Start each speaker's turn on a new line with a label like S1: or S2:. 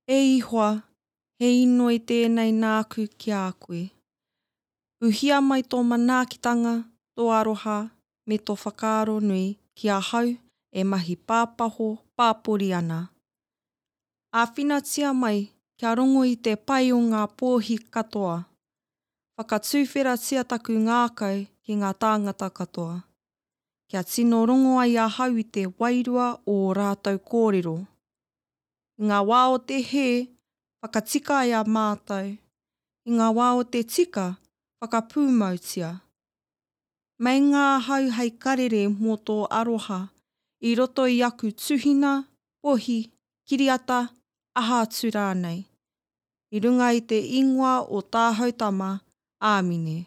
S1: E Ihoa, he inoi tēnei nāku ki a koe. Uhia mai tō manaakitanga, tō aroha, me tō whakaaro nui ki ahau e mahi pāpaho pāpori ana. Āwhinatia mai kia rongo i te pai o ngā pōhi katoa. Whakatuwheratia taku ngākau ki ngā tāngata katoa. Kia tino rongo ai ahau i te wairua o ō rātou kōrero. I ngā wā o te hē, whakatika ai a mātou. I ngā wā o te tika, whakapūmautia. Meinga ahau hei karere mō tō aroha i roto i aku tuhina, pohi, kiriata, aha atu rānei. I runga i te ingoa o tāhau Tama, āmine.